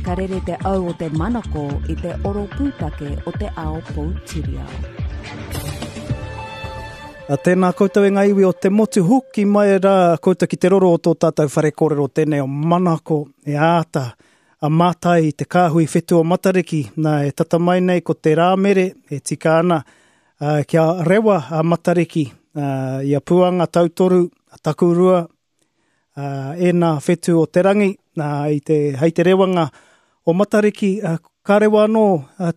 Ka rere te au o te manako i te oro pūtake o te ao poutiriao. A tēnā koutou e ngā iwi o te motu, hoki mai rā koutou ki te roro o tō tātou whare kōrero tēnei o Manako e āta a mātai i te kāhui whetū o Matariki, nā e tata mai nei ko te Rāmere e tika ana ā, kia rewa a Matariki ā, i a Puanga Tautoru, a Takurua, ā, ēnā whetū o te rangi, nā, i te, hei te rewanga o Matariki, ā, ka rewa anō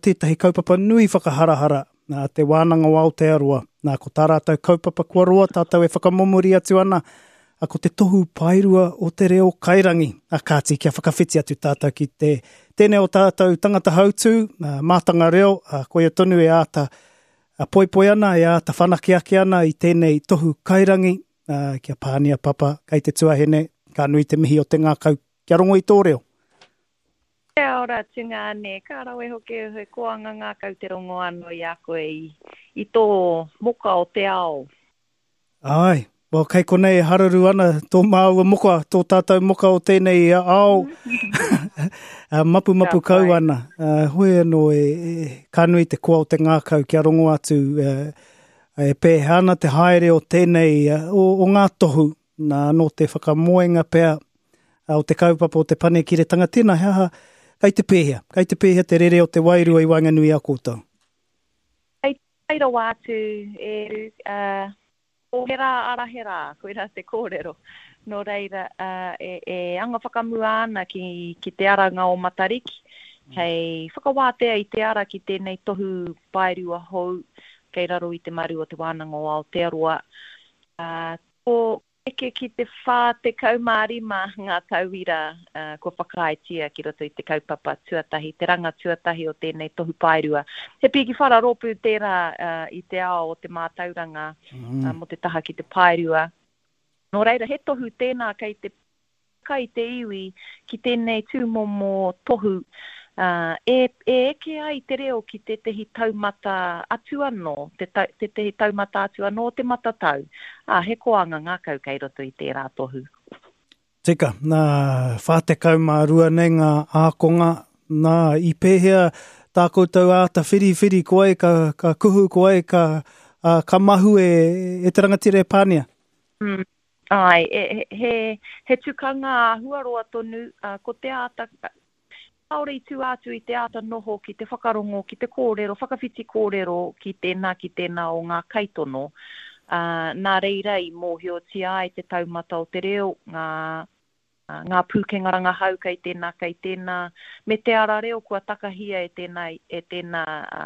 tētahi kaupapa nui whakaharahara, nā, Te Wānanga o Aotearoa. Nā, ko tā rātou kaupapa kua roa tātou e whakamomori atu ana, ā, ko te tohu paerua o te reo kairangi. Ā, kāti, kia whakawhiti atu tātou ki te, tēnei o tātou tangata hautū, ā, mātanga reo, ā, koia tonu e āta poipoi ana, e āta whanake ake ana i tēnei tohu kairangi, ā, ki a Pānia Papa, kei te tuahine, ka nui te mihi o te ngākau kia rongo i tō reo. Kia ora tungāne, ka rawe hoki he koanga ngākau te rongo anō i a koe i, i tō moka o te ao. Āe, well kei konei e hararu ana tō māua moka, tō tātou moka o tēnei ao, mapumapu kau ana. Hoi anō e, e, ka nui te koa o te ngākau kia rongo atu, E pēhea ana te haere o tēnei, o, o ngā tohu, nā, nō te whakamoenga pea o te kaupapa o te panekiretanga, tēnā, he aha, kei te pēhea, kei te pēhea te rere o te wairua i waenganui i a koutou? Kei te pai rawa atu, e Ru, uh, ko he rā ara he rā, koirā te kōrero. Nō reira, uh, e, e anga whakamua ana ki, ki te aranga o Matariki, hei whakawātea i te ara ki tēnei tohu paerua hou, kei raro i te maru o Te Wānanga o Aotearoa, ā, ko eke ki te 45 ngā tauira kua whakaaetia ki roto i te kaupapa tuatahi, te ranga tuatahi o tēnei tohu paerua. He pīki whara rōpū tērā i te ao o te mātauranga mō te taha ki te paerua. Nō reira, he tohu tēnā kei te Kai te iwi ki tēnei tūmomo tohu, ā, e, e eke ai te reo ki tētehi taumata atu anō, te tau, tētehi taumata atu anō o te matatau, ā, he koanga ngākau kei roto i tērā tohu. Tika, nā, 42 nei ngā ākonga, nā, i pēhea tā koutou āta whiriwhiri ko ai ka, ka kuhu, ko ai ka, ā, ka mahue e te rangatira e Pānia? Mm. Āe, e, he, he tukanga āhua roa tonu, ā, ko te āta, kāore i tua atu i te āta noho ki te whakarongo, ki te kōrero, whakawhiti kōrero ki tēnā, ki tēnā o ngā kaitono. Ā, nā reira i mōhiotia ai te taumata o te reo, ngā, ngā pūkenga rangahau kei tēnā, kei tēnā, me te ara reo kua takahia e tēnā, e tēnā, ā,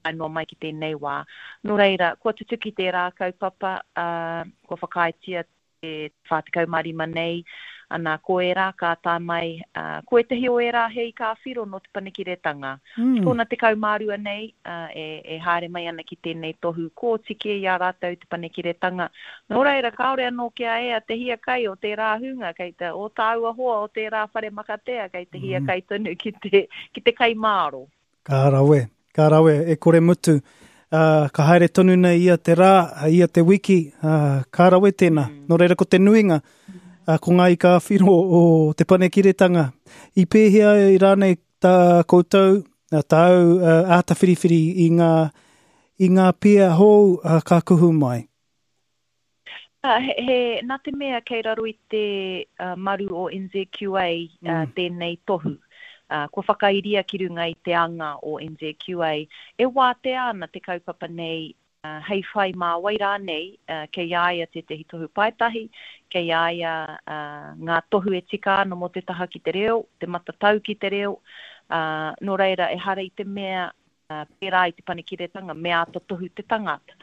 tae noa mai ki tēnei wā. Nō reira, kua tutuki tērā kaupapa, ā, kua whakaaetia te 45 nei, ana, ko ērā ka tae mai, ā, ko ētahi o ērā he ika ā-whiro nō Te Panekiretanga. Mm. Tōna 12 nei, ā, e, e haere mai ana ki tēnei tohu kōtike i a rātou Te Panekiretanga. Nō reira, kāore anō kia ea te hiakai o tērā hunga, kei te, o tāua hoa o tērā whare makatea, kei te hiakai tonu ki te, ki te kai māro. Ka rawe, ka rawe, e kore mutu. Uh, ka haere tonu nei ia te rā, ia te wiki, uh, ka rawe tēnā. Mm. Nō reira ko te nuinga, uh, ko ngā ika ā-whiro o te panekiretanga. I pēhea i rānei tā koutou, tāu uh, āta whiriwhiri i ngā, i ngā pia hou uh, ka kuhu mai? Ā, he, he, nā te mea kei raro i te uh, maru o NZQA uh, mm. tēnei tohu, uh, kua whakairia ki runga i te anga o NZQA, e wātea ana te kaupapa nei uh, hei whai mā wai rānei uh, kei a ia tētehi tohu paetahi, kei a ia uh, ngā tohu e tika ana mō te taha ki te reo, te matatau ki te reo, uh, nō reira ehara i te mea uh, pērā i te panekiretanga me āta tohu te tangata.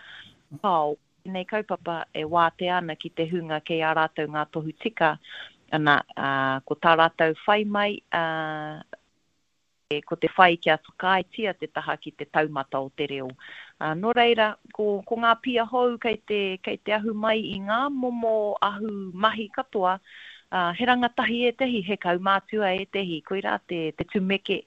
Kāo, Tēnei kaupapa e wātea ana ki te hunga kei a rātou ngā tohu tika, ana, ā, ko tā rātou whai mai, ā, ko te whai kia whakaaetia te taha ki te taumata o te reo. Ā, nō reira, ko, ko ngā pia hou kei te, kei te ahu mai i ngā momo ahu mahi katoa, ā, he rangatahi ētehi, he kaumātua ētehi, koirā te, te tumeke,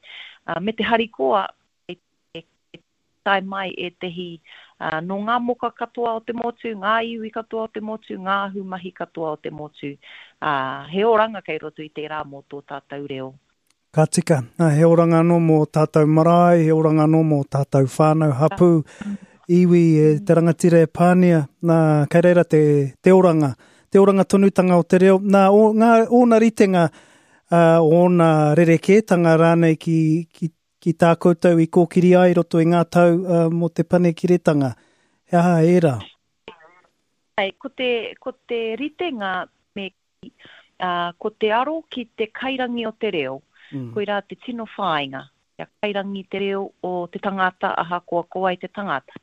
ā, me te harikoa, kei te tae mai ētehi nō ngā moka katoa o te motu, ngā iwi katoa o te motu, ngā ahumahi katoa o te motu. Ā, he oranga kei roto i tērā mō tō tātou reo. Ka tika, he oranga anō mō tātou marae, he oranga anō mō tātou whānau, hapū, iwi, e te rangatira e pānia, nā, kei reira te, te oranga, te oranga tonutanga o te reo, nā, o, ngā, ōna ritenga, uh, ōna rerekētanga rānei ki, ki, ki tā koutou i kōkiri ai roto i ngā tau uh, mō te panekiretanga. He aha ērā? Ai, ko te, ko te ritenga me ā, ko te aro ki te kairangi o te reo, koirā te tino whāinga, kia kairangi te reo o te tangata ahakoa ko wai te tangata.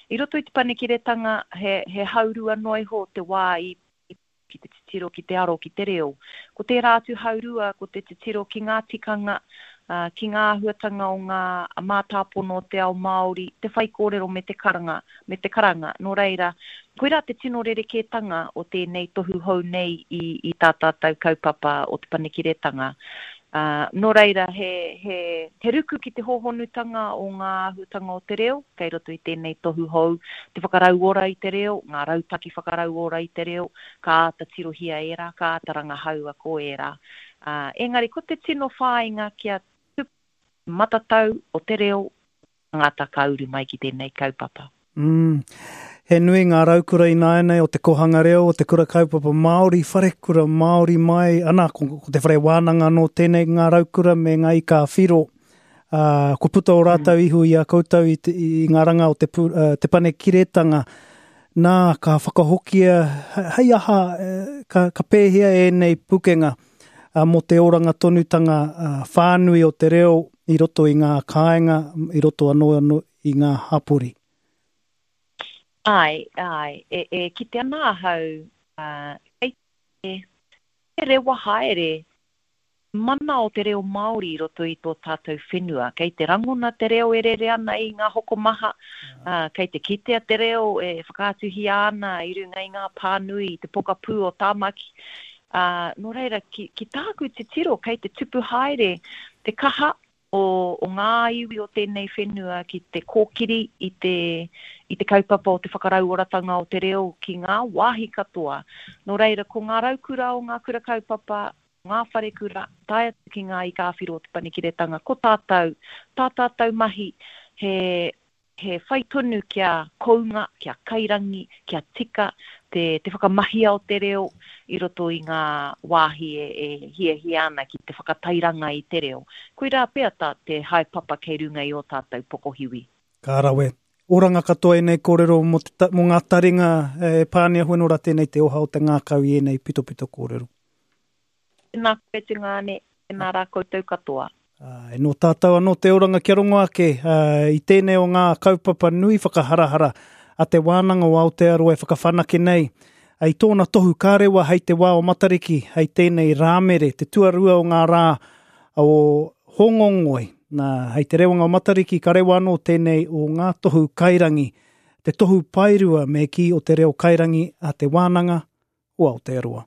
I roto i te panekiretanga, he, he haurua noa iho te wā i, i, ki te titiro, ki te aro ki te reo. Ko tērā atu haurua, ko te titiro ki ngā tikanga, ā, ki ngā āhuatanga o ngā mātāpono o te ao Māori, te whaikōrero me te karanga, me te karanga. Nō reira, koirā te tino rerekētanga o tēnei tohu hou nei i, i tā tātou kaupapa o Te Panekiretanga. Ā, nō reira, he, he, he ruku ki te hōhonutanga o ngā āhuatanga o te reo kei roto i tēnei tohu hou, te whakarauora i te reo, ngā rautaki whakarauora i te reo, ka āta tirohia ērā, ka āta rangahaua ko ērā. Ā, engari ko te tino whāinga kia tupu te matatau o te reo tangata ka uru mai ki tēnei kaupapa. Mm. He nui ngā raukura ināianei o te kohanga reo, o te kura kaupapa Māori, wharekura Māori mai, ana, ko, ko te whare wānanga anō tēnei ngā raukura me ngā ika whiro. Uh, kua puta o rātou mm. ihu i a koutou i, te, i ngā ranga o te, pu, uh, te panekiretanga. Nā, ka whakahokia, hei aha, ka, ka pēhea ēnei pukenga mō te oranga tonutanga whānui o te reo i roto i ngā kāinga, i roto anō anō i ngā hapori. Āe, āe, e, e kite ana ahau, ā, kei te rewa haere mana o te reo Māori i roto i tō tātou whenua. Kei te rangona te reo e rere ana i ngā hokomaha, ā, kei te kitea te reo e whakaatuhia ana i runga i ngā pānui i te pokapū o Tāmaki. Ā, nō reira, ki, ki tāku titiro, kei te tupu haere te kaha o, o ngā iwi o tēnei whenua ki te kōkiri i te, i te kaupapa o te whakarauoratanga o te reo ki ngā wāhi katoa. Nō reira, ko ngā raukura o ngā kura kaupapa, ngā wharekura, tae atu ki ngā ika-a-whiro o Te Panekiretanga, ko tātou, tā tātou mahi, he, he whai tonu kia kounga, kia kairangi, kia tika te, te whakamahia o te reo i roto i ngā wāhi e, e hiahia ana ki te whakatairanga i te reo. Koirā pea tā te haepapa kei runga i ō tātou pokohiwi. Ka rawe. Oranga katoa ēnei kōrero mō te, mō ngā taringa e pānia hueno rā tēnei te oha o te ngākau i ēnei pitopito kōrero. Tēnā koe tungāne, tēnā rā koutou katoa. Āe, nō tātou anō te oranga kia rongo ake i tēnei o ngā kaupapa nui whakaharahara a Te Wānanga o Aotearoa e whakawhanake nei i tōna tohu kārewa hei te wā o Matariki, hei tēnei Rāmere, te tuarua o ngā rā o Hōngongoi. Nā, hei te rewanga o Matariki ka rewa anō tēnei o ngā tohu kairangi, te tohu paerua me kī o te reo kairangi a Te Wānanga o Aotearoa.